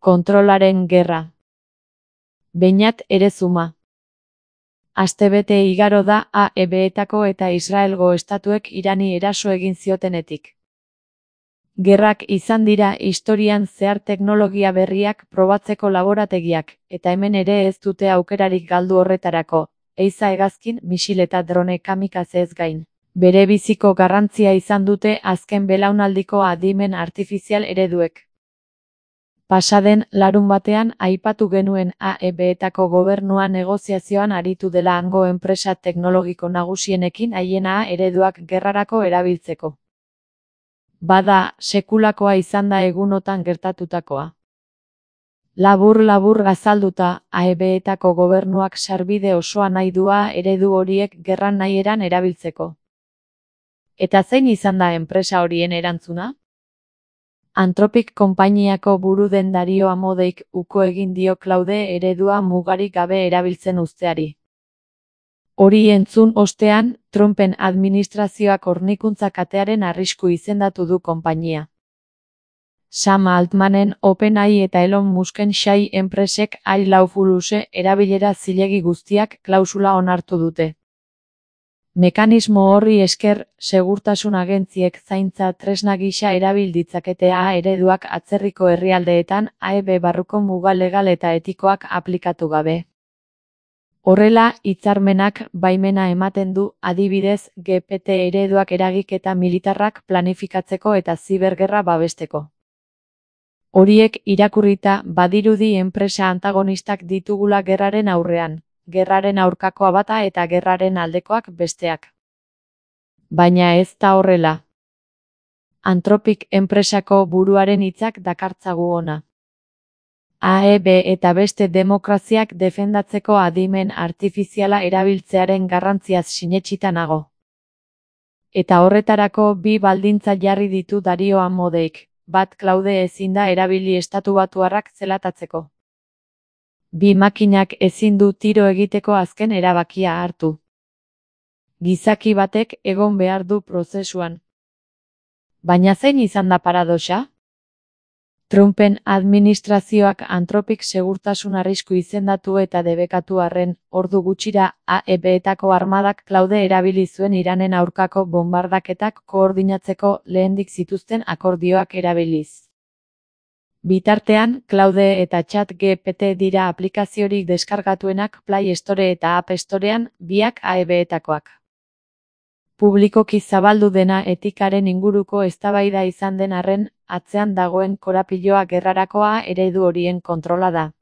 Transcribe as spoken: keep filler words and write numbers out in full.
Kontrolaren gerra. Beñat Erezuma. Astebete igaro da A E B-etako eta Israelgo estatuek Irani eraso egin ziotenetik. Gerrak izan dira historian zehar teknologia berriak probatzeko laborategiak, eta hemen ere ez dute aukerarik galdu horretarako, ehiza hegazkin, misil eta drone kamikaze ez gain. Bere biziko garrantzia izan dute azken belaunaldiko adimen artifizial ereduek. Pasaden larunbatean aipatu genuen A E B-etako gobernua negoziazioan aritu dela hango enpresa teknologiko nagusienekin haien A ereduak gerrarako erabiltzeko. Bada, sekulakoa izan da egunotan gertatutakoa. Labur-labur azalduta, A E B-etako gobernuak sarbide osoa nahi du A eredu horiek gerran nahieran erabiltzeko. Eta zein izan da enpresa horien erantzuna? Anthropic konpainiako buru den Dario Amodeik uko egin dio Claude eredua mugarik gabe erabiltzen uzteari. Hori entzun ostean, Trumpen administrazioak hornikuntza katearen arrisku izendatu du konpainia. Sam Altmanen OpenAI eta Elon Musken Xai enpresek I Lawfuluse erabilera zilegi guztiak klausula onartu dute. Mekanismo horri esker, segurtasun agentziek zaintza tresna gisa erabil ditzakete A ereduak atzerriko herrialdeetan A E B barruko muga legal eta etikoak aplikatu gabe. Horrela, hitzarmenak baimena ematen du, adibidez, G P T ereduak eragiketa militarrak planifikatzeko eta zibergerra babesteko. Horiek irakurrita, badirudi enpresa antagonistak ditugula gerraren aurrean. Gerraren aurkakoa bata eta gerraren aldekoak besteak. Baina ez da horrela. Anthropic enpresako buruaren hitzak dakartzagu hona. A E B eta beste demokraziak defendatzeko adimen artifiziala erabiltzearen garrantziaz sinetsita nago. Eta horretarako bi baldintza jarri ditu Dario Amodeik, bat Claude ezin da erabili estatubatuarrak zelatatzeko. Bi makinak ezin du tiro egiteko azken erabakia hartu. Gizaki batek egon behar du prozesuan. Baina zein izan da paradoxa? Trumpen administrazioak Anthropic segurtasun arrisku izendatu eta debekatu arren, ordu gutxira A E B-etako armadak Claude erabili zuen Iranen aurkako bombardaketak koordinatzeko lehendik zituzten akordioak erabiliz. Bitartean, Claude eta Chat G P T dira aplikaziorik deskargatuenak Play Store eta App Storean, biak A E B-etakoak. Publikoki zabaldu dena etikaren inguruko eztabaida izan den arren, atzean dagoen korapiloa gerrarako A eredu horien kontrola da.